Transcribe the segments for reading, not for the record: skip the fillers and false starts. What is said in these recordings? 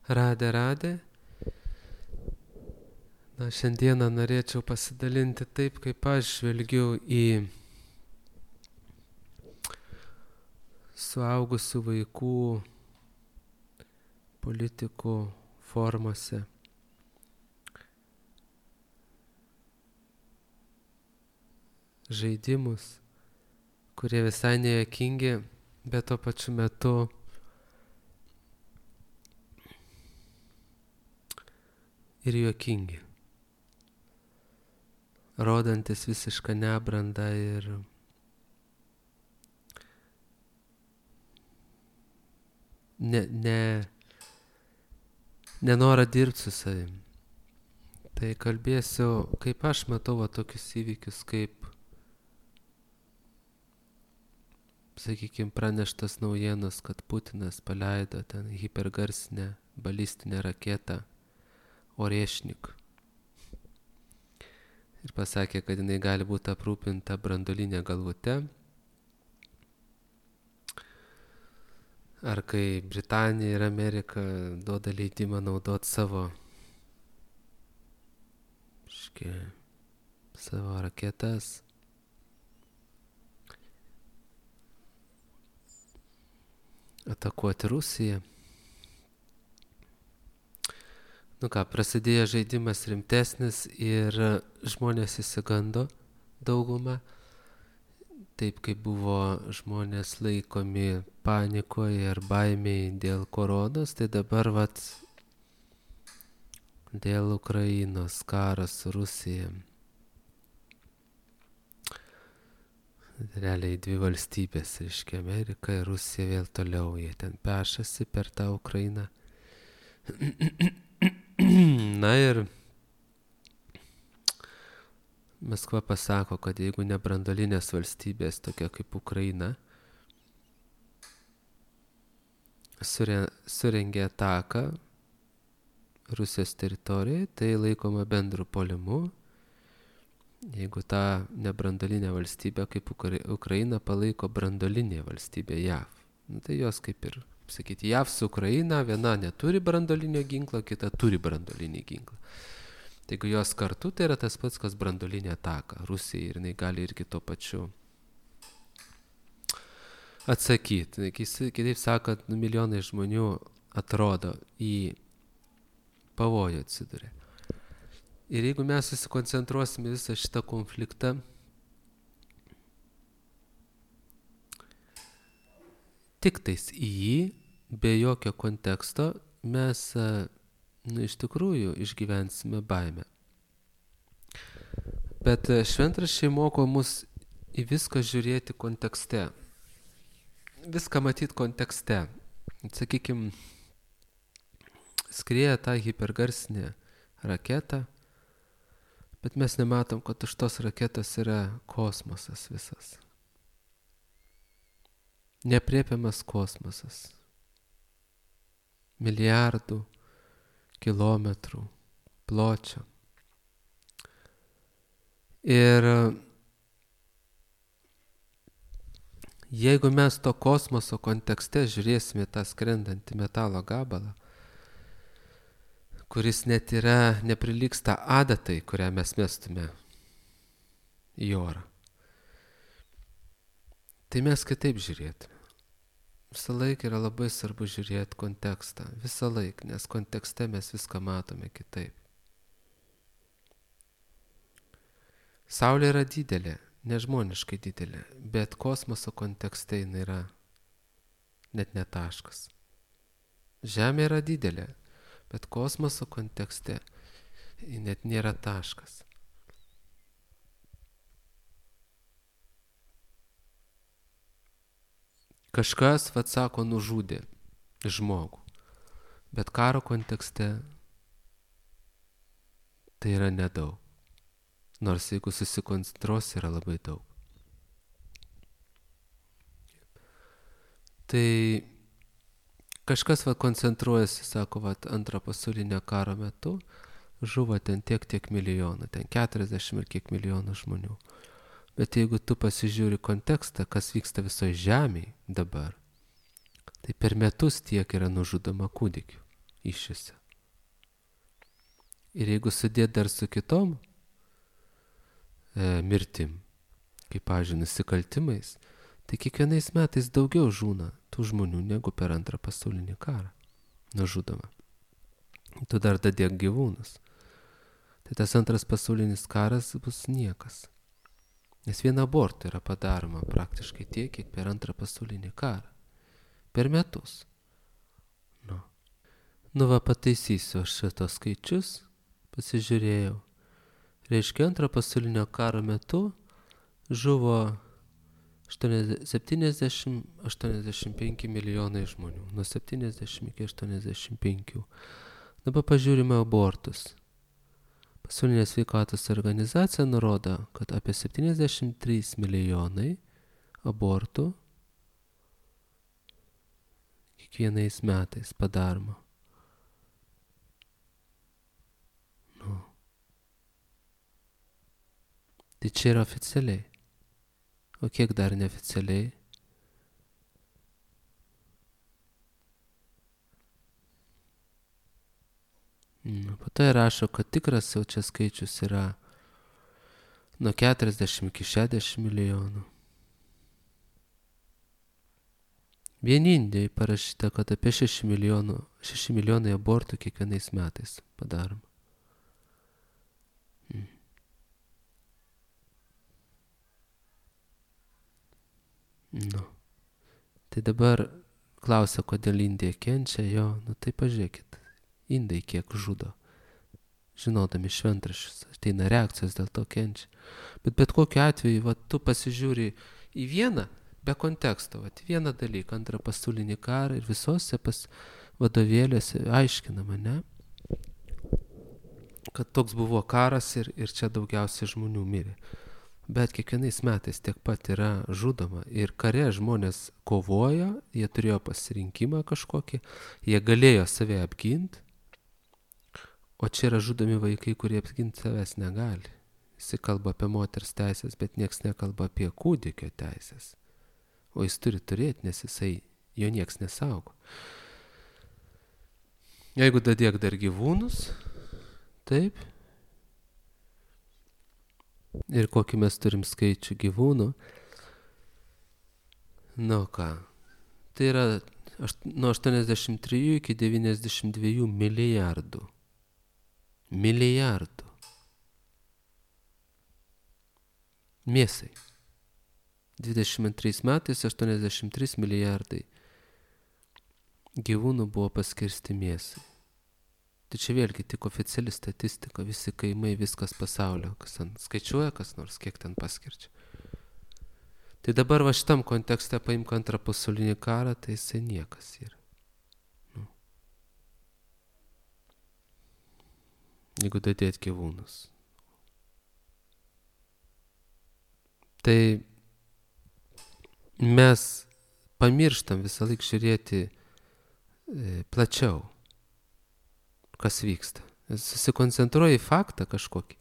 Radė. Na, šiandieną norėčiau pasidalinti taip, kaip aš žvelgiu į suaugusių vaikų politikų formose. Žaidimus, kurie visai nejuokingi, bet tuo pačiu metu ir juokingi, rodantis visišką nebrandą ir nenorą dirbti su savim. Tai kalbėsiu, kaip aš matau tokius įvykius, kaip, sakykime, praneštas naujienos, kad Putinas paleido ten hipergarsinę balistinę raketą Orešnik. Ir pasakė, kad jinai gali būti aprūpinta branduolinė galvute. Ar kai Britanija ir Amerika duoda leidimą naudoti savo raketas. Atakuoti Rusiją. Nu ką, prasidėjo žaidimas rimtesnis ir žmonės įsigando daugumą. Taip kaip buvo žmonės laikomi panikoje ar baimėje dėl koronos, tai dabar dėl Ukrainos karas su Rusija. Realiai dvi valstybės, reiškia Amerika ir Rusija vėl toliau, jie ten pešasi per tą Ukrainą. Na ir Maskva pasako, kad jeigu ne branduolinės valstybės, tokia kaip Ukraina, surengė ataką Rusijos teritorijoje, tai laikoma bendru puolimu. Jeigu tą nebranduolinę valstybę kaip Ukraina palaiko branduolinė valstybė JAV. Tai jos kaip ir, sakyti, JAV su Ukraina, viena neturi branduolinio ginklo, kita turi branduolinį ginklą. Tai jeigu jos kartu, tai yra tas pats, kas branduolinė ataka Rusijai ir jinai gali irgi tuo pačiu atsakyti. Kitaip sakant, milijonai žmonių atrodo į pavojų atsiduria. Ir jeigu mes susikoncentruosime visą šitą konfliktą, tik tais į jį, be jokio konteksto, mes iš tikrųjų išgyvensime baimę. Bet šventraščiai moko mus į viską žiūrėti kontekste. Viską matyti kontekste. Sakykime, skrieja tą hipergarsinę raketą, bet mes nematom, kad už tos raketos yra kosmosas visas. Neaprėpiamas kosmosas. Milijardų kilometrų pločio. Ir jeigu mes to kosmoso kontekste žiūrėsime tą skrendantį metalo gabalą, kuris net yra neprilygsta adatai, kurią mes mestume į orą, tai mes kitaip žiūrėtume. Visą laiką yra labai svarbu žiūrėti kontekstą. Visą laiką, nes kontekste mes viską matome kitaip. Saulė yra didelė, nežmoniškai didelė, bet kosmoso kontekste jinai yra net ne taškas. Žemė yra didelė, bet kosmoso kontekste net nėra taškas. Kažkas, sako, nužudė žmogų, bet karo kontekste tai yra nedaug. Nors jeigu susikoncentruosi, yra labai daug. Tai kažkas koncentruojasi, sako, antro pasaulinio karo metu žuvo ten tiek milijonų, ten 40 ir kiek milijonų žmonių. Bet jeigu tu pasižiūri kontekstą, kas vyksta visoje žemėje dabar, tai per metus tiek yra nužudoma kūdikių iššiose. Ir jeigu sudėt dar su kitom mirtim, kaip, pavyzdžiui, nusikaltimais, tai kiekvienais metais daugiau žūna tų žmonių negu per Antrą pasaulinį karą nužudoma. Tu dar dadėk gyvūnus. Tai tas Antras pasaulinis karas bus niekas. Nes vien abortų yra padaroma praktiškai tiek, kiek per Antrą pasaulinį karą. Per metus. Nu va, pataisysiu aš šitos skaičius, pasižiūrėjau. Reiškia, Antro pasaulinio karo metu žuvo 70-85 milijonai žmonių. Nuo 70 iki 85. Dabar pažiūrime abortus. Pasaulinė sveikatos organizacija nurodo, kad apie 73 milijonai abortų kiekvienais metais padaroma. Tai čia yra oficialiai. O kiek dar neoficialiai? Po to rašo, kad tikras jau čia skaičius yra nuo 40 iki 60 milijonų. Vien Indijai parašyta, kad apie 6 milijonai abortų kiekvienais metais padaroma. Tai dabar klausia, kodėl Indija kenčia, tai pažiūrėkit, Indai kiek žudo, žinodami šventraščius, ateina reakcijos, dėl to kenčia. Bet kokiu atveju, tu pasižiūri į vieną, be konteksto, vieną dalyką, Antrą pasaulinį karą ir visose vadovėliuose aiškinama, ne? Kad toks buvo karas ir čia daugiausiai žmonių mirė. Bet kiekvienais metais tiek pat yra žudoma. Ir kare žmonės kovojo, jie turėjo pasirinkimą kažkokį, jie galėjo save apginti, o čia yra žudomi vaikai, kurie apginti savęs negali. Jis kalba apie moters teisės, bet nieks nekalba apie kūdikio teisės. O jis turi turėti, nes jo nieks nesaugo. Jeigu dadėk dar gyvūnus, taip, ir kokį mes turim skaičių gyvūnų. Tai yra nuo 83 iki 92 milijardų. Mėsai. 22 metais 83 milijardai gyvūnų buvo paskirsti mėsai. Tai čia vėlgi tik oficiali statistika, visi kaimai, viskas pasaulio, kas ten skaičiuoja, kas nors, kiek ten paskirčia. Tai dabar šitam kontekste paimk Antrą pasaulinį karą, tai jisai niekas yra. Jeigu dadėt gyvūnus. Tai mes pamirštam visą laiką žiūrėti plačiau, kas vyksta. Susikoncentruoji į faktą kažkokį.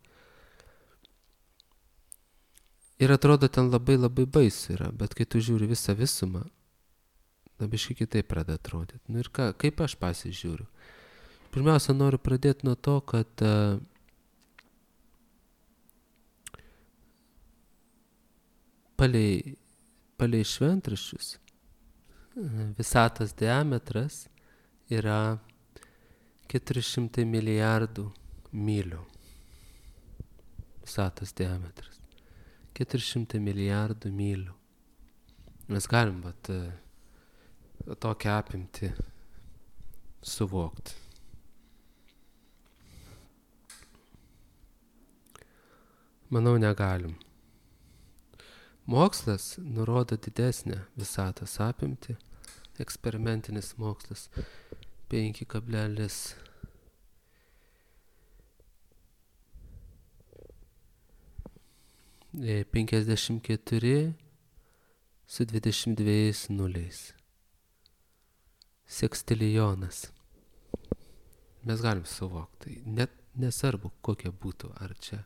Ir atrodo, ten labai labai baisu yra, bet kai tu žiūri visą visumą, biškai kitaip pradeda atrodyti. Ir kaip aš pasižiūriu? Pirmiausia, noriu pradėti nuo to, kad palei šventraščius visatos diametras yra 400 milijardų mylių. Visatos diametras. 400 milijardų mylių. Mes galim tokią apimtį suvokti. Manau, negalim. Mokslas nurodo didesnę visatos apimtį. Eksperimentinis mokslas 5,54 su 22 nuliais. Sekstilijonas. Mes galim suvokti. Net nesvarbu, kokia būtų. Ar čia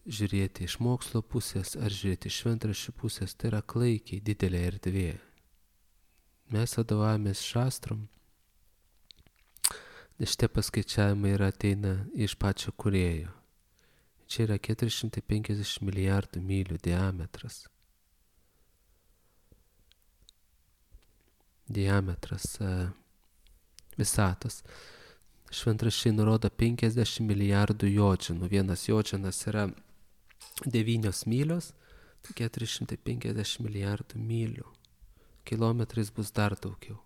žiūrėti iš mokslo pusės, ar žiūrėti iš šventraščių pusės. Tai yra klaikiai didelė erdvė. Mes vadovavomės šastrom. Šitie paskaičiavimai ateina iš pačio kūrėjo. Čia yra 450 milijardų mylių diametras. Visatos. Šventraščiai nurodo 50 milijardų jodžinų. Vienas jodžinas yra 9 mylios, tai 450 milijardų mylių. Kilometrais bus dar daugiau.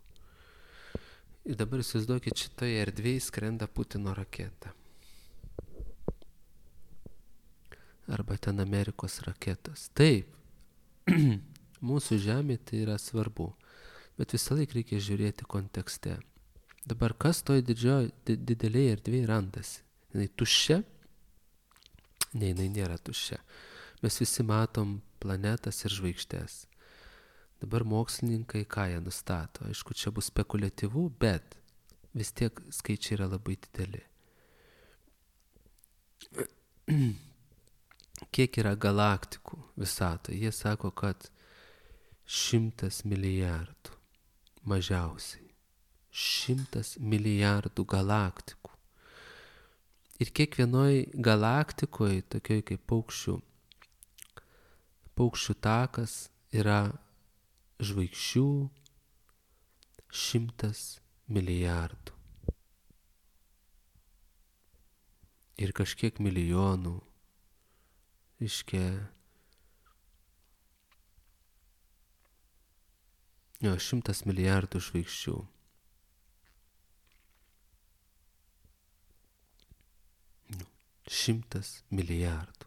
Ir dabar įsivaizduokit, šitoje erdvėje skrenda Putino raketa. Arba ten Amerikos raketos. Taip, mūsų žemė tai yra svarbu, bet visą laiką reikia žiūrėti kontekste. Dabar kas toj didelėje erdvėje randasi? Jinai tuščia? Ne, jinai nėra tuščia. Mes visi matom planetas ir žvaigždės. Dabar mokslininkai ką jie nustato? Aišku, čia bus spekuliatyvu, bet vis tiek skaičiai yra labai dideli. Kiek yra galaktikų visatoje? Jie sako, kad 100 milijardų mažiausiai. 100 milijardų galaktikų. Ir kiekvienoj galaktikoje, tokioj kaip paukščių takas, yra žvaigždžių 100 milijardų. Ir kažkiek milijonų, reiškia, 100 milijardų žvaigždžių. Šimtas milijardų.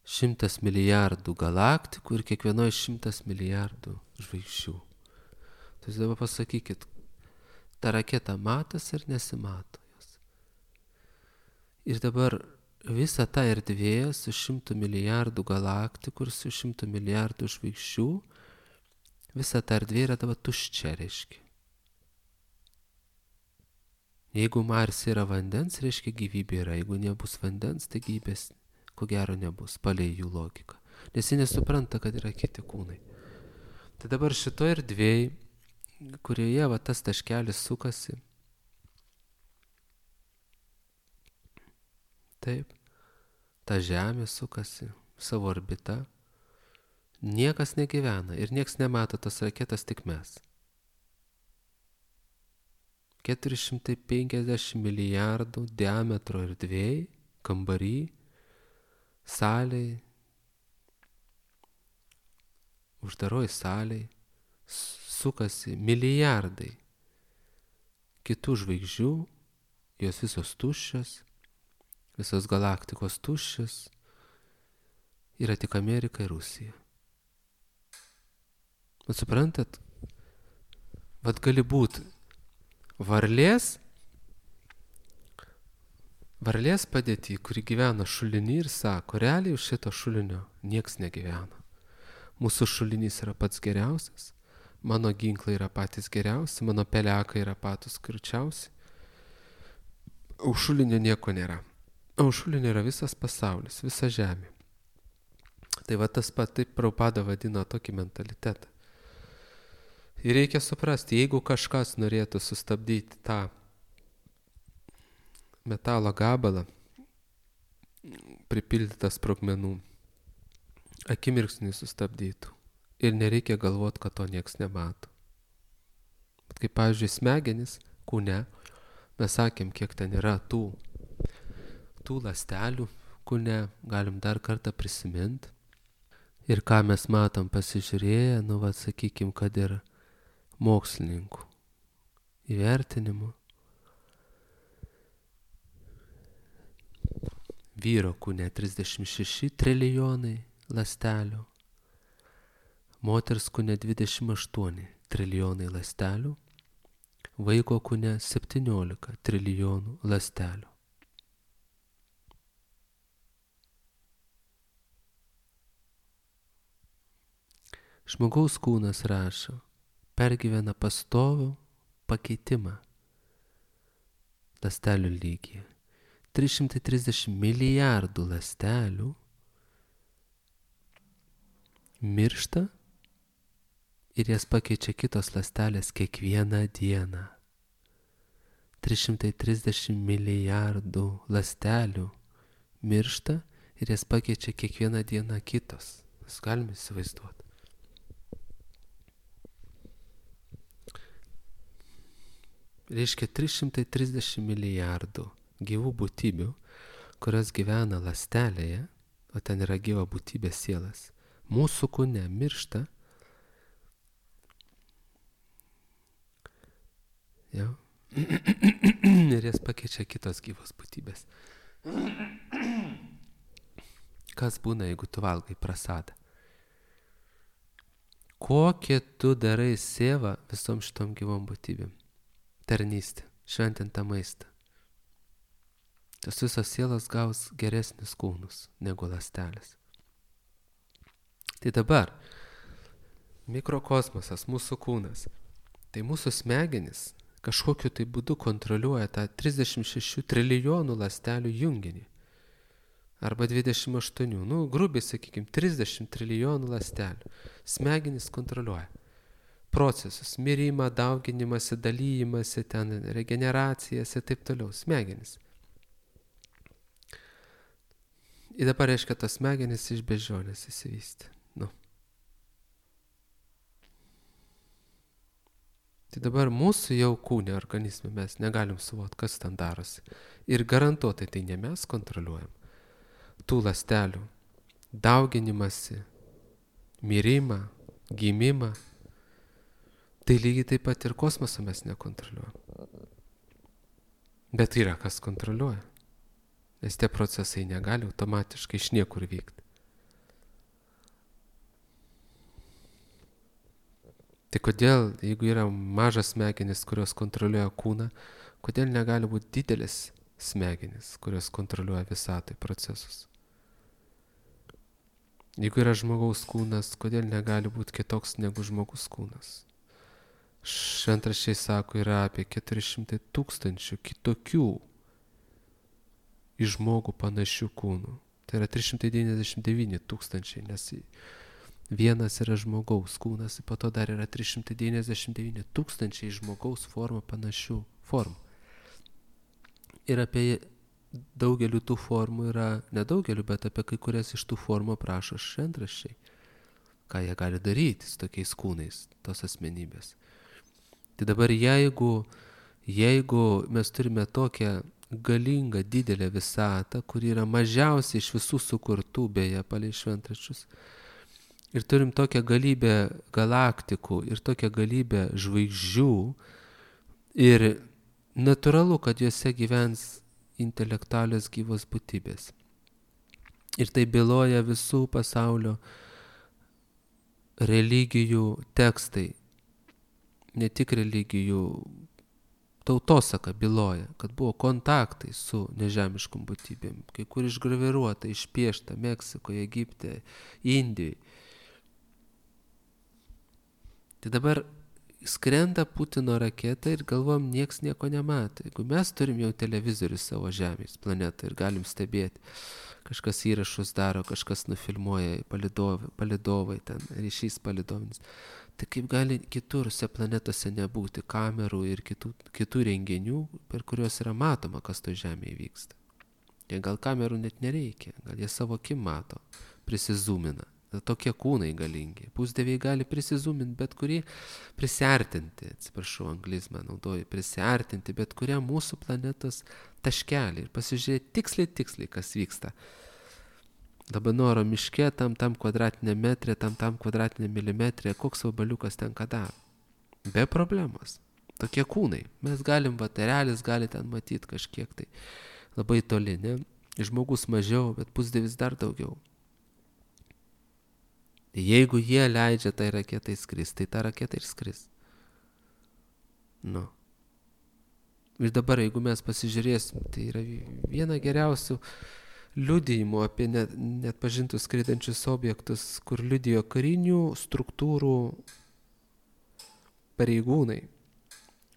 100 milijardų galaktikų ir kiekvienoje 100 milijardų žvaigždžių. Tai dabar pasakykit, ta raketa matosi ir nesimato jos. Ir dabar visa ta erdvė su 100 milijardų galaktikų ir su 100 milijardų žvaigždžių, visa ta erdvė yra dabar tuščia, reiškia. Jeigu Marse yra vandens, reiškia gyvybė yra. Jeigu nebus vandens, tai gyvybės ko gero nebus, palei jų logiką. Nes jie nesupranta, kad yra kiti kūnai. Tai dabar šito erdvėj, kurioje tas taškelis sukasi, taip, ta Žemė sukasi savo orbita, niekas negyvena ir nieks nemato tos raketos, tik mes. 450 milijardų diametro erdvėj, kambary, salėj, uždaroj salėj, sukasi milijardai kitų žvaigždžių, jos visos tuščios, visos galaktikos tuščios, yra tik Amerika ir Rusija. Bet suprantat, gali būti varlės padėtį, kuri gyvena šulinį ir sako, realiai už šito šulinio nieks negyvena. Mūsų šulinys yra pats geriausias, mano ginklai yra patys geriausi, mano pelekai yra patys skirčiausi. Už šulinio nieko nėra. O už šulinio yra visas pasaulis, visa žemė. Tai tas pat taip Prabhupada vadino tokį mentalitetą. Ir reikia suprasti, jeigu kažkas norėtų sustabdyti tą metalo gabalą, pripildytą sprogmenų, akimirksnį sustabdytų. Ir nereikia galvoti, kad to nieks nemato. Bet kaip, pavyzdžiui, smegenys kūne, mes sakėm, kiek ten yra tų ląstelių kūne, galim dar kartą prisiminti. Ir ką mes matom pasižiūrėję, sakykim, kad ir mokslininkų įvertinimu. Vyro kūne 36 trilijonai ląstelių, moters kūne 28 trilijonai ląstelių, vaiko kūne 17 trilijonų ląstelių. Žmogaus kūnas, rašo, pergyvena pastovų pakeitimą ląstelių lygyje. 330 milijardų ląstelių miršta ir jas pakeičia kitos ląstelės kiekvieną dieną. 330 milijardų ląstelių miršta ir jas pakeičia kiekvieną dieną kitos. Mes galime įsivaizduoti. Reiškia 330 milijardų gyvų būtybių, kurios gyvena ląstelėje, o ten yra gyva būtybė sielas, mūsų kūne miršta. Jau. Ir jas pakeičia kitos gyvos būtybės. Kas būna, jeigu tu valgai prasadą? Kokie tu darai sėvą visom šitom gyvom būtybėm? Tarnystė, šventintą maistą. Tos visos sielos gaus geresnius kūnus negu ląstelės. Tai dabar mikrokosmosas, mūsų kūnas, tai mūsų smegenys kažkokiu tai būdu kontroliuoja tą 36 trilijonų ląstelių junginį. Arba 28, grubiai sakykime, 30 trilijonų ląstelių. Smegenys kontroliuoja procesus, mirimą, dauginimąsi, dalyjimąsi, ten regeneracijas ir taip toliau. Smegenys. Ir dabar reiškia, tos smegenys iš beždžionės įsivystė. Tai dabar mūsų jau kūne, organizme mes negalim suvokti, kas ten darosi. Ir garantuotai tai ne mes kontroliuojam. Tų ląstelių dauginimąsi, mirimą, gimimą. Tai lygiai taip pat ir kosmosą mes nekontroliuojam. Bet yra kas kontroliuoja. Nes tie procesai negali automatiškai iš niekur vykti. Tai kodėl, jeigu yra mažas smegenis, kurios kontroliuoja kūną, kodėl negali būti didelis smegenis, kurios kontroliuoja visatoj procesus? Jeigu yra žmogaus kūnas, kodėl negali būti kitoks negu žmogus kūnas? Šventraščiai sako, yra apie 400 000 kitokių į žmogų panašių kūnų. Tai yra 399 000, nes vienas yra žmogaus kūnas, po to dar yra 399 000 žmogaus formą panašių formų. Ir apie daugelių tų formų yra, nedaugelių, bet apie kai kurias iš tų formų aprašo šventraščiai. Ką jie gali daryti su tokiais kūnais, tos asmenybės. Tai dabar jeigu mes turime tokią galingą, didelę visatą, kuri yra mažiausiai iš visų sukurtų, beje, palei šventraščius, ir turim tokią galybę galaktikų ir tokią galybę žvaigždžių, ir natūralu, kad juose gyvens intelektualios gyvos būtybės. Ir tai byloja visų pasaulio religijų tekstai. Ne tik religijų tautosaka byloja, kad buvo kontaktai su nežemiškom būtybėm, kai kur išgraviruota, išpiešta Meksikoje, Egipte, Indijoje. Tai dabar skrenda Putino raketa ir galvom, nieks nieko nemato. Jeigu mes turim jau televizorių savo Žemės planetą ir galim stebėti, kažkas įrašus daro, kažkas nufilmuoja, palidovai, ten ryšys palidovinis. Tai kaip gali kituriuose planetose nebūti kamerų ir kitų renginių, per kuriuos yra matoma, kas to Žemėje vyksta. Jie gal kamerų net nereikia, gal jie savo akim mato, prisizūmina. Tokie kūnai galingi. Pusdieviai gali prisizūminti bet kurį, prisiartinti, atsiprašau, anglizmą naudoju, prisiartinti bet kurią mūsų planetos taškelį ir pasižiūrėti tiksliai, kas vyksta. Labanoro miške, tam kvadratinė metrė, tam kvadratinė milimetrė, koks vabaliukas ten ką daro. Be problemos. Tokie kūnai. Mes galim, erelis gali ten matyti kažkiek tai labai toli, ne? Žmogus mažiau, bet pusdievis dar daugiau. Jeigu jie leidžia tai raketai skris, tai ta raketa ir skris. Ir dabar, jeigu mes pasižiūrėsim, tai yra viena geriausių liudijimų apie net pažintus skraidančius objektus, kur liudijo karinių struktūrų pareigūnai.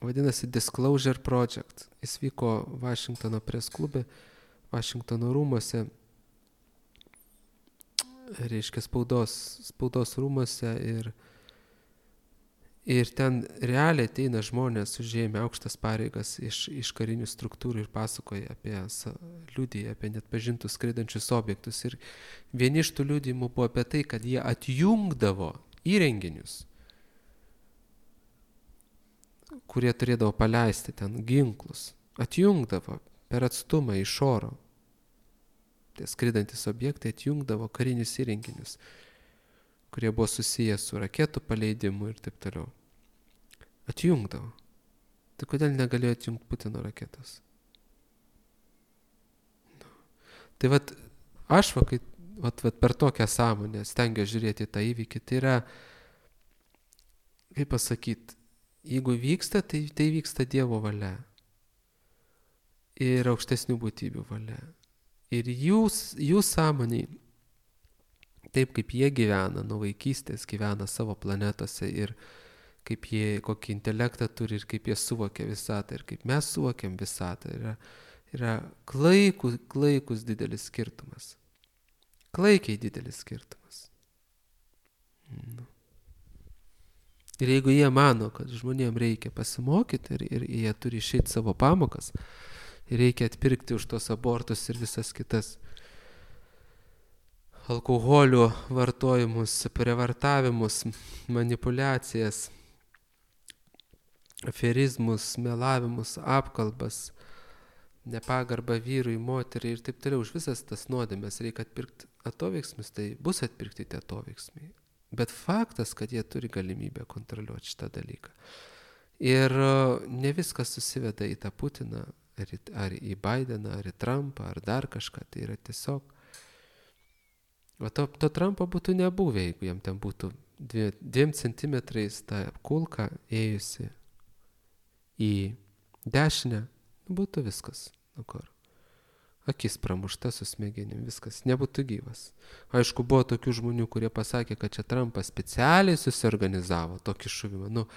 Vadinasi Disclosure Project. Jis vyko Vašingtono press klube, Vašingtono rūmuose, reiškia spaudos rūmuose, Ir ten realiai ateina žmonės užėmę aukštas pareigas iš karinių struktūrų ir pasakoja liudija apie net pažintus skraidančius objektus. Ir vieni iš tų liudijimų buvo apie tai, kad jie atjungdavo įrenginius, kurie turėdavo paleisti ten ginklus. Atjungdavo per atstumą iš oro. Tie skraidantis objektai atjungdavo karinius įrenginius, kurie buvo susijęs su raketų paleidimu ir taip toliau. Atjungdavo. Tai kodėl negalėjo atjungti Putino raketos? Tai aš per tokią sąmonę stengiuosi žiūrėti tą įvykį. Tai yra, kaip pasakyti, jeigu vyksta, tai vyksta Dievo valia ir aukštesnių būtybių valia. Ir jų sąmoniai, taip kaip jie gyvena, nuo vaikystės gyvena savo planetose ir kaip jie, kokį intelektą turi ir kaip jie suvokia visatą ir kaip mes suvokiam visatą, yra klaikus didelis skirtumas. Klaikiai didelis skirtumas. Ir jeigu jie mano, kad žmonėms reikia pasimokyti ir jie turi išeiti savo pamokas, ir reikia atpirkti už tos abortus ir visas kitas alkoholio vartojimus, prievartavimus, manipulacijas, aferizmus, melavimus, apkalbas, nepagarbą vyrui, moteriai ir taip toliau. Už visas tas nuodėmes reikia atpirkti atoveiksmis, tai bus atpirkti tie atoveiksmiai. Bet faktas, kad jie turi galimybę kontroliuoti šitą dalyką. Ir ne viskas susiveda į tą Putiną, ar į Bideną, ar į Trumpą, ar dar kažką. Tai yra tiesiog... To Trumpo būtų nebuvę, jeigu jam ten būtų 2 centimetrais ta kulka ėjusi į dešinę, būtų viskas. Akis pramušta su smegenim, viskas, nebūtų gyvas. Aišku, buvo tokių žmonių, kurie pasakė, kad čia Trumpas specialiai susiorganizavo tokį šuvimą.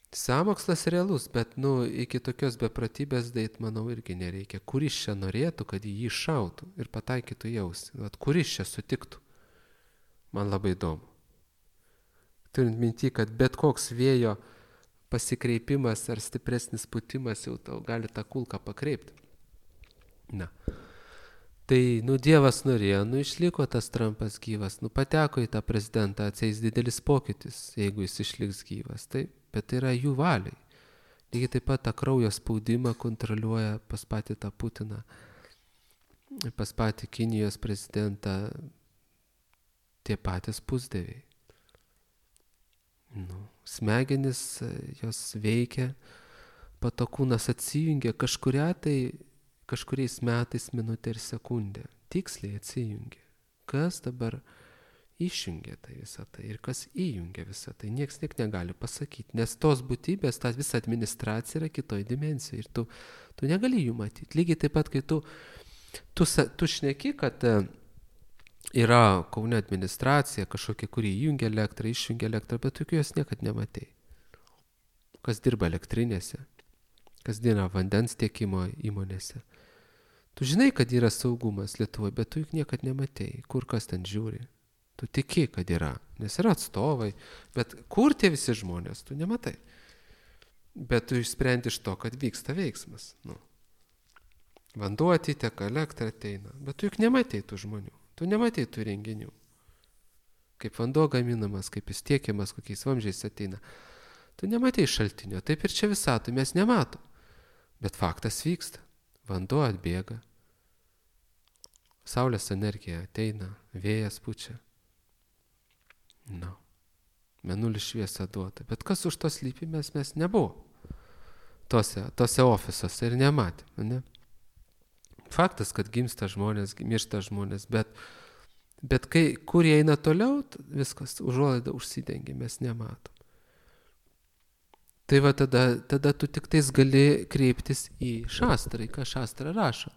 Sąmokslas realus, bet iki tokios bepratybės dait, manau, irgi nereikia. Kuris čia norėtų, kad jį šautų ir pataikytų jausį? Kuris čia sutiktų? Man labai įdomu. Turint minti, kad bet koks vėjo pasikreipimas ar stipresnis putimas jau tau gali tą kulką pakreipti. Tai, Dievas norėjo, išliko tas Trumpas gyvas, pateko į tą prezidentą, atsieis didelis pokytis, jeigu jis išliks gyvas. Bet tai yra jų valiai. Lygiai taip pat tą kraujo spaudimą kontroliuoja pas patį tą Putiną, pas patį Kinijos prezidentą tie patys pusdieviai. Smegenis jos veikia, patokūnas atsijungia kažkuriais metais minutę ir sekundę. Tiksliai atsijungia. Kas dabar išjungia tai visą tai ir kas įjungia visą tai, nieks negali pasakyti, nes tos būtybės, ta visa administracija yra kitoj dimensijoje ir tu negali jų matyti. Lygiai taip pat, kai tu šneki, kad yra Kaune administracija kažkokia, kuri įjungia elektrą, išjungia elektrą, bet tu jos niekad nematei. Kas dirba elektrinėse, kas dirba vandens tiekimo įmonėse. Tu žinai, kad yra saugumas Lietuvoje, bet tu juk niekad nematei, kur kas ten žiūri. Tu tiki, kad yra, nes yra atstovai, bet kur tie visi žmonės, tu nematai. Bet tu išsprendi iš to, kad vyksta veiksmas. Vanduo atiteka, elektra ateina, bet tu juk nematei tų žmonių, tu nematei tų renginių. Kaip vanduo gaminamas, kaip jis tiekiamas, kokiais vamzdžiais ateina. Tu nematei šaltinio, taip ir čia visatoj mes nematom. Bet faktas vyksta, vanduo atbėga, saulės energija ateina, vėjas pučia. Mėnulis šviesa duota. Bet kas už to slypi, mes nebuvo. Tose ofisuose ir nematėm. Ne? Faktas, kad gimsta žmonės, miršta žmonės, bet kur jie eina toliau, viskas užuolaida užsidengia, mes nematom. Tai tada tu tik tais gali kreiptis į Šastrą, ką Šastra rašo.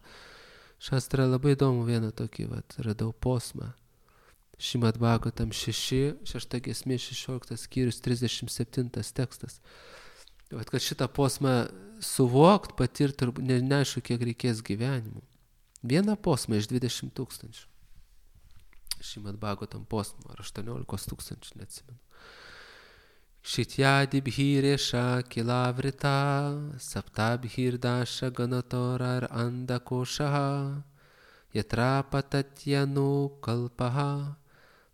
Šastra labai įdomu vieną tokį, radau posmą. Šimad Bhagavatam 6 giesmė 16 skyrius 37 tekstas. Kad šitą posmą suvokt, patirti, neaišku, kiek reikės gyvenimų. Vieną posmą iš 20 000. Šimad Bhagavatam posmą, ar 18 000, neatsimenu. Shityadibhiresha kilavrita saptabhirdasha ganatora andakoshaha yatra patatyanu kalpaha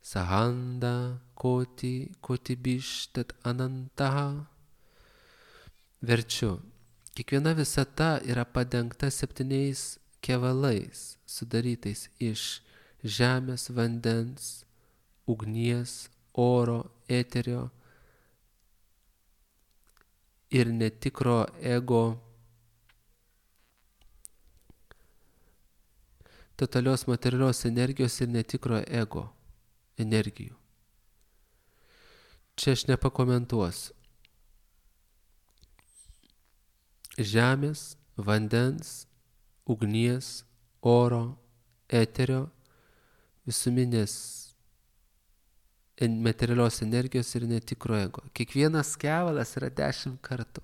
sahanda kotibishtat anantaha. Verčiu. Kiekviena visata yra padengta 7 kevalais, sudarytais iš žemės, vandens, ugnies, oro, eterio ir netikro ego, totalios materialios energijos ir netikro ego energijų. Čia aš nepakomentuosiu. Žemės, vandens, ugnies, oro, eterio, visuminės materialios energijos ir netikro ego. Kiekvienas kevalas yra 10 kartų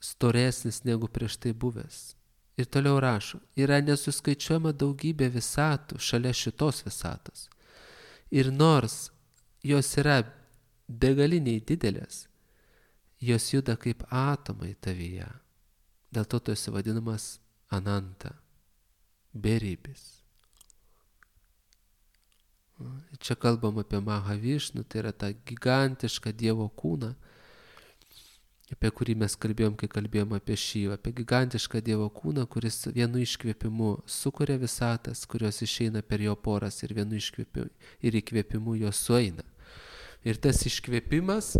storesnis negu prieš tai buvęs. Ir toliau rašo, yra nesuskaičiuojama daugybė visatų šalia šitos visatos. Ir nors jos yra begaliniai didelės, jos juda kaip atomai tavyje. Dėl to tu esi vadinamas Ananta, beribis. Čia kalbam apie Mahavišnu, tai yra tą gigantišką Dievo kūną, apie kurį mes kalbėjom, kai kalbėjom apie Šyvą, apie gigantišką Dievo kūną, kuris vienu iškvėpimu sukuria visatas, kurios išeina per jo poras ir vienu iškvėpimu ir įkvėpimu jos sueina. Ir tas iškvėpimas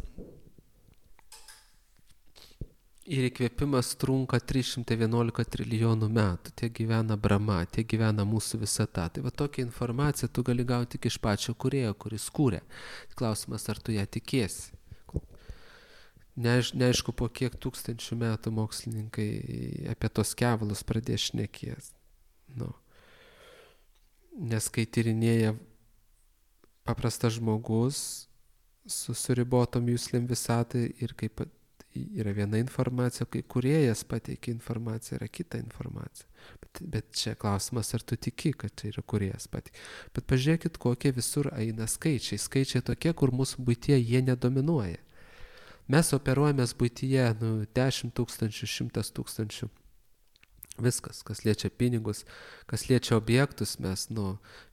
trunka 311 trilijonų metų. Tiek gyvena Brahma, tiek gyvena mūsų visata. Tai va tokią informaciją tu gali gauti tik iš pačio kūrėjo, kuris kūrė. Klausimas, ar tu ją tikėsi. Neaišku, po kiek tūkstančių metų mokslininkai apie tos kevalus pradės šnekės. Nes kai tyrinėja paprastas žmogus su suribotom juslėm visatai ir kaip yra viena informacija, kai kūrėjas pateikia informaciją, yra kita informacija. Bet čia klausimas, ar tu tiki, kad čia yra kūrėjas pateikia. Bet pažiūrėkit, kokie visur eina skaičiai. Skaičiai tokie, kur mūsų buityje jie nedominuoja. Mes operuojamės buityje 10 tūkstančių, 100 tūkstančių. Viskas, kas liečia pinigus, kas liečia objektus, mes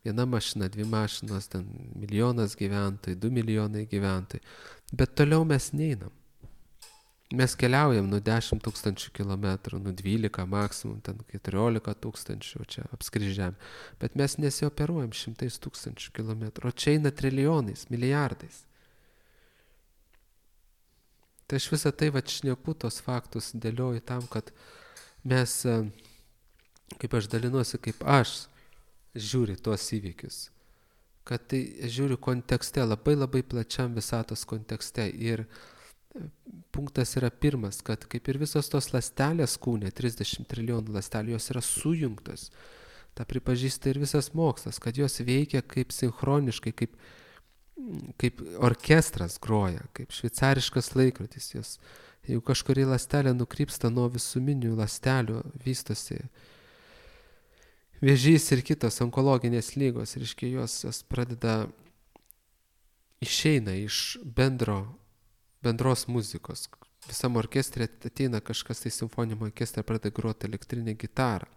viena mašina, 2 mašinos, 1 milijonas gyventojų, 2 milijonai gyventojų. Bet toliau mes neinam. Mes keliaujam 10 tūkstančių kilometrų, 12 maksimum, 14 tūkstančių čia apskrižėm. Bet mes nesioperuojam 100 tūkstančių kilometrų, o čia eina trilijonais, milijardais. Tai aš visą tai šneku tos faktus dėlioju tam, kad mes, kaip aš dalinuosi, kaip aš žiūriu tuos įvykius. Kad tai žiūriu kontekste, labai labai plačiam visatos kontekste. Ir punktas yra pirmas, kad kaip ir visos tos ląstelės kūne, 30 trilijonų ląstelių, jos yra sujungtos. Ta pripažįsta ir visas mokslas, kad jos veikia kaip sinchroniškai, kaip orkestras groja, kaip šveicariškas laikrodis. Jeigu kažkuri ląstelė nukrypsta nuo visuminių ląstelių, vystosi vėžys ir kitos onkologinės lygos, reiškia, jos pradeda išeina iš bendros muzikos. Visam orkestrė ateina kažkas, tai simfoniniam orkestrė pradeda groti elektrinę gitarą.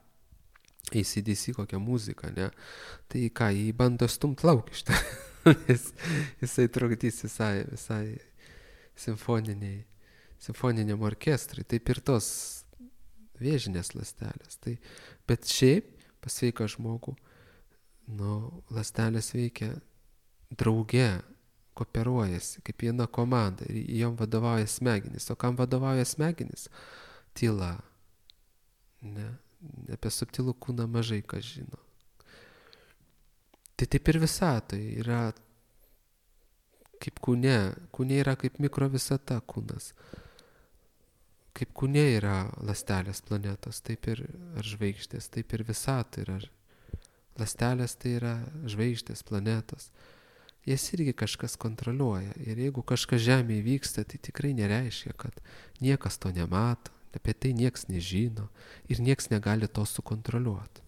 AC/DC kokią muziką, ne? Tai ką, jį bando stumt lauk iš tą. Jisai trukdys visai simfoniniam orkestrui. Taip ir tos vėžinės ląstelės. Bet šiaip pas sveiką žmogų ląstelės veikia drauge, kooperuojasi kaip viena komanda ir jom vadovauja smegenys. O kam vadovauja smegenys? Tyla. Ne? Apie subtilų kūną mažai kas žino. Tai taip ir visatoje yra kaip kūne. Kūne yra kaip mikrovisata kūnas. Kaip kūne yra ląstelės planetos, taip ir žvaigždės, taip ir visata yra. Ląstelės tai yra žvaigždės, planetos. Jas irgi kažkas kontroliuoja. Ir jeigu kažkas Žemėje vyksta, tai tikrai nereiškia, kad niekas to nemato, apie tai nieks nežino ir nieks negali to sukontroliuoti.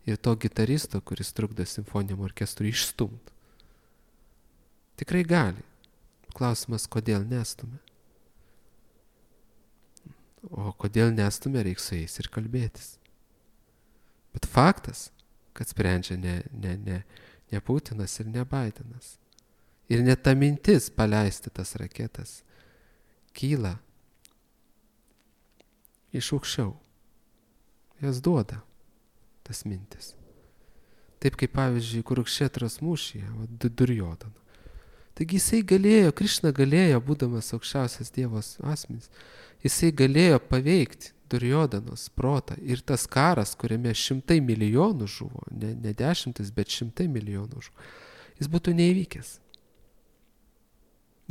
Ir to gitaristo, kuris trukdo simfoniniam orkestrui, išstumti. Tikrai gali. klausimas, kodėl nestumia. O kodėl nestumia, reikia su jais ir kalbėtis. Bet faktas, kad sprendžia ne Putinas ir ne Bidenas. Ir net ta mintis paleisti tas raketas kyla iš aukščiau. Jas duoda tas mintis. Taip kaip pavyzdžiui, Kurukšetros mūšyje, Durjodhana. Taigi jisai galėjo, Krišna galėjo, būdamas aukščiausias Dievos asmenis, jisai galėjo paveikti Durjodanos protą. Ir tas karas, kuriame 100 milijonų žuvo, ne 10, bet 100 milijonų žuvo, jis būtų neįvykęs.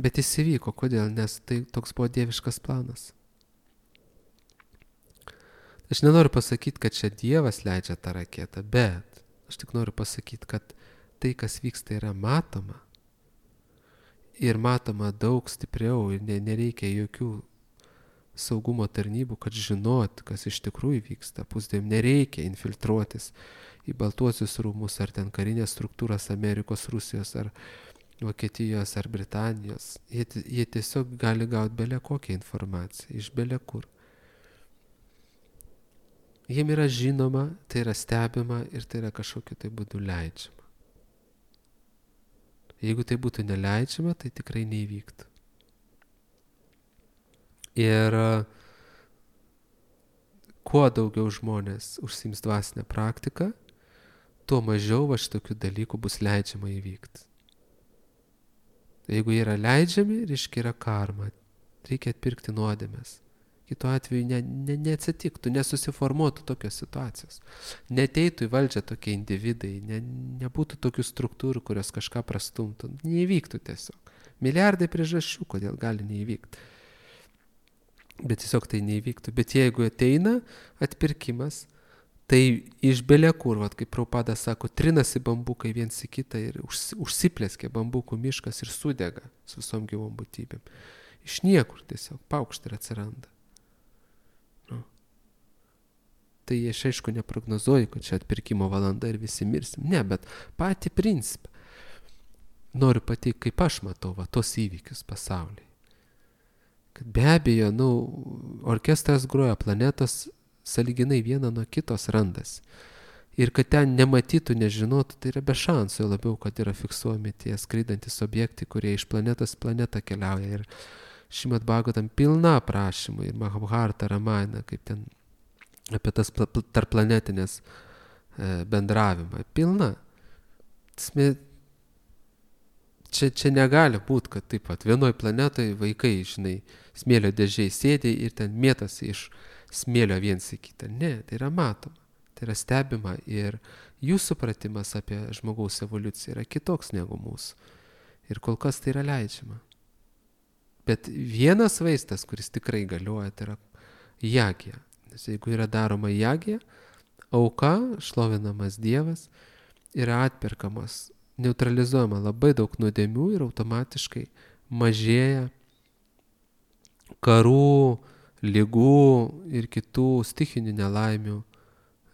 Bet jis įvyko. Kodėl? Nes tai toks buvo dieviškas planas. Aš nenoriu pasakyti, kad čia Dievas leidžia tą raketą, bet aš tik noriu pasakyti, kad tai, kas vyksta, yra matoma. Ir matoma daug stipriau ir nereikia jokių saugumo tarnybų, kad žinot, kas iš tikrųjų vyksta. Pusdien nereikia infiltruotis į Baltuosius rūmus ar ten karinės struktūras Amerikos, Rusijos ar Vokietijos ar Britanijos. Jie tiesiog gali gauti bele kokią informaciją iš bele kur. Jiem yra žinoma, tai yra stebima ir tai yra kažkokiu tai būdu leidžiama. Jeigu tai būtų neleidžiama, tai tikrai neįvyktų. Ir kuo daugiau žmonės užsiims dvasinę praktiką, tuo mažiau šitokių dalykų bus leidžiama įvykti. Jeigu jie yra leidžiami, reiškia yra karma. Reikia atpirkti nuodėmes. Kitu atveju neatsitiktų, nesusiformuotų tokios situacijos. Neteitų į valdžią tokie individai, nebūtų tokių struktūrų, kurios kažką prastumtų. Neįvyktų tiesiog. Milijardai priežasčių, kodėl gali neįvykti. Bet tiesiog tai neįvyktų. Bet jeigu ateina atpirkimas, tai iš bele kur, kaip Prabhupada sako, trinasi bambukai viens į kitą ir užsiplėskė bambukų miškas ir sudega su visom gyvom būtybėm. Iš niekur tiesiog paukšt ir atsiranda. Tai aš aišku neprognozuoju, kad čia atpirkimo valanda ir visi mirsim. Ne, bet patį principą noriu pateikti, kaip aš matau tos įvykius pasaulyje. Kad be abejo, orkestras groja, planetos sąlyginai viena nuo kitos randasi. Ir kad ten nematytų, nežinotų, tai yra be šansų, labiau, kad yra fiksuojami tie skraidantis objektai, kurie iš planetos planetą keliauja. Ir Šrimad Bhagavatam pilna aprašymų, ir Mahabharata, Ramayana, kaip ten apie tas tarplanetinės bendravimą. Pilna. Čia negali būti, kad taip pat vienoj planetoje vaikai, smėlio dėžiai sėdė ir ten mėtasi iš smėlio viens į kitą. Ne, tai yra matoma, tai yra stebima ir jų supratimas apie žmogaus evoliuciją yra kitoks negu mūsų. Ir kol kas tai yra leidžiama. Bet vienas vaistas, kuris tikrai galioja, tai yra jagija. Nes jeigu yra daroma jagija, auka, šlovinamas Dievas, yra atperkamas, neutralizuojama labai daug nuodėmių ir automatiškai mažėja karų, ligų ir kitų stichinių nelaimių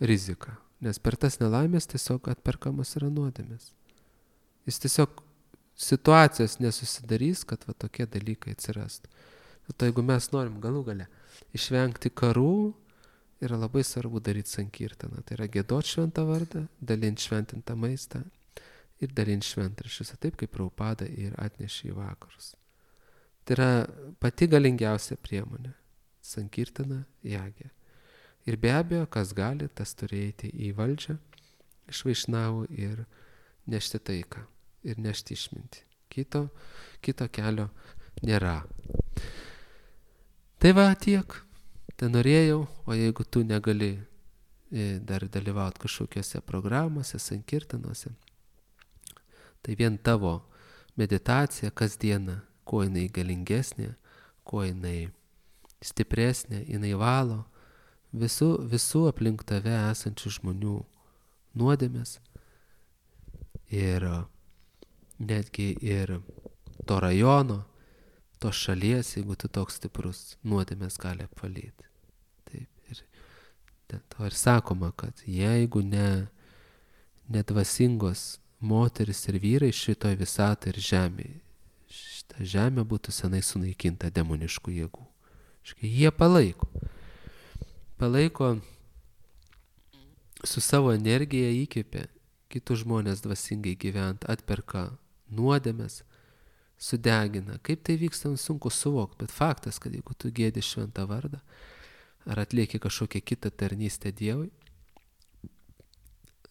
rizika. Nes per tas nelaimės tiesiog atperkamas yra nuodėmės. Jis tiesiog situacijos nesusidarys, kad tokie dalykai atsirastų. Tai jeigu mes norim galų gale išvengti karų, yra labai svarbu daryti sankirtaną. Tai yra giedot šventą vardą, dalinti šventintą maistą ir dalinti šventraščius, taip kaip Prabhupada ir atnešė į vakarus. Tai yra pati galingiausia priemonė. Sankirtana, jagija. Ir be abejo, kas gali, tas turi eiti į valdžią iš vaišnavų ir nešti taiką ir nešti išmintį. Kito kelio nėra. Tai tiek. Tai norėjau, o jeigu tu negali dar dalyvauti kažkokiose programuose, sankirtanuose, tai vien tavo meditacija kasdieną, kuo jinai galingesnė, kuo jinai stipresnė, jinai valo visų aplink tave esančių žmonių nuodėmes ir netgi ir to rajono, tos šalies, jeigu tu toks stiprus, nuodėmės gali apvalyti. Taip, ir to ir sakoma, kad jeigu nedvasingos moteris ir vyrai šitoj visatoj ir žemėje, ta žemė būtų senai sunaikinta demoniškų jėgų. Jie palaiko su savo energija įkvėpia kitus žmonės dvasingai gyvent, atperka nuodėmes, sudegina. Kaip tai vyksta, sunku suvokti, bet faktas, kad jeigu tu gėdi šventą vardą, ar atlieki kažkokią kitą tarnystę Dievui,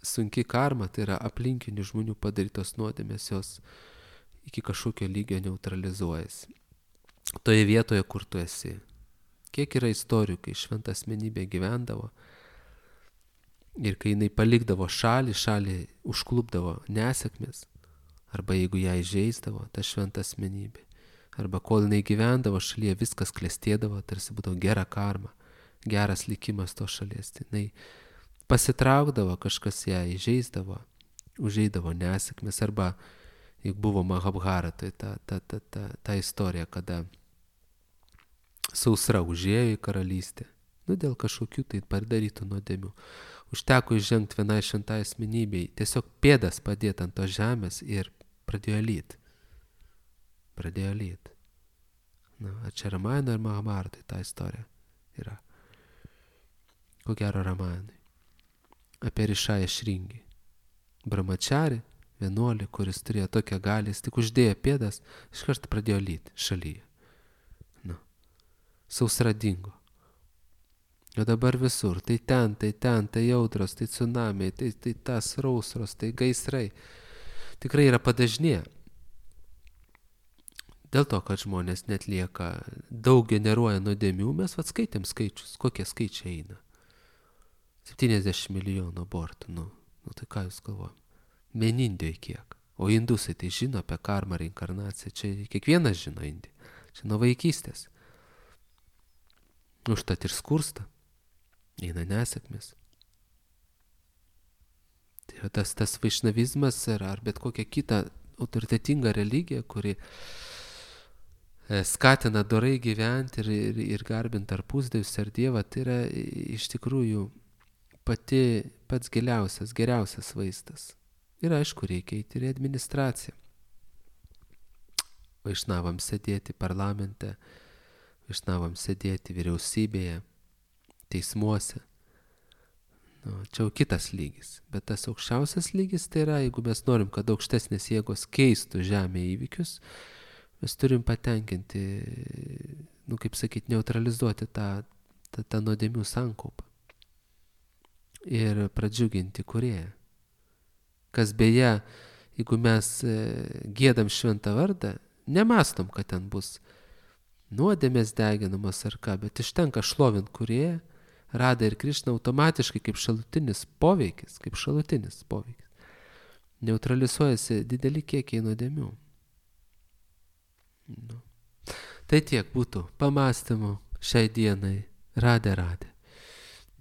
sunki karma, tai yra aplinkinių žmonių padarytos nuodėmės, jos iki kažkokio lygio neutralizuojasi. Toje vietoje, kur tu esi. Kiek yra istorijų, kai šventa asmenybė gyvendavo ir kai jinai palikdavo šalį užklupdavo nesėkmės, arba jeigu ją įžeisdavo, ta šventa asmenybė, arba kol jinai gyvendavo šalyje, viskas klestėdavo, tarsi būdavo gera karma, geras likimas to šalies. Tai jinai pasitraukdavo, kažkas ją įžeisdavo, užeidavo nesėkmės, arba juk buvo Mahabharatoje ta istorija, kada sausra užėjo į karalystę, dėl kažkokių tai padarytų nuodėmių. Užteko įžengti vienai šventai asmenybei, tiesiog pėdas padėti ant tos žemės ir pradėjo lyt. Čia Ramayana ir Mahabharatoje ta istorija yra. Ko gero Ramayanai. Apie Rišają Šringį. Brahmachari, vienuolį, kuris turėjo tokią galią, jis tik uždėjo pėdas, iš karto pradėjo lyt šalyje. Sausra dingo. O dabar visur, tai audros, tai tsunamiai, tai tas sausros, tai gaisrai. Tikrai yra padažnėję. Dėl to, kad žmonės netlieka, daug generuoja nuodėmių, mes skaitėm skaičius, kokie skaičiai eina. 70 milijonų abortų, tai ką jūs galvojam? Vien Indijoje kiek? O indusai tai žino apie karmą, reinkarnaciją, čia kiekvienas žino Indiją, čia nuo vaikystės. Užtat ir skursta, eina nesėkmės. Tai tas vaišnavizmas ar bet kokia kita autoritetinga religija, kuri skatina dorai gyventi ir garbinti ar pusdievius ar Dievą, tai yra iš tikrųjų pats geriausias vaistas. Ir aišku, reikia eiti ir į administraciją. Vaišnavams sėdėti parlamente, vaišnavams sėdėti vyriausybėje, teismuose. Čia jau kitas lygis. Bet tas aukščiausias lygis tai yra, jeigu mes norim, kad aukštesnės jėgos keistų žemėje įvykius, mes turim patenkinti, neutralizuoti tą nuodėmių sankaupą. Ir pradžiuginti Kūrėją. Kas beje, jeigu mes giedam šventą vardą, nemastom, kad ten bus nuodėmės deginamos ar ką, bet ištenka šlovint Kūrėją, Radha ir Krišna automatiškai kaip šalutinis poveikis, neutralizuojasi dideli kiekiai nuodėmių. Tai tiek būtų pamąstymų šiai dienai. Radhe Radhe.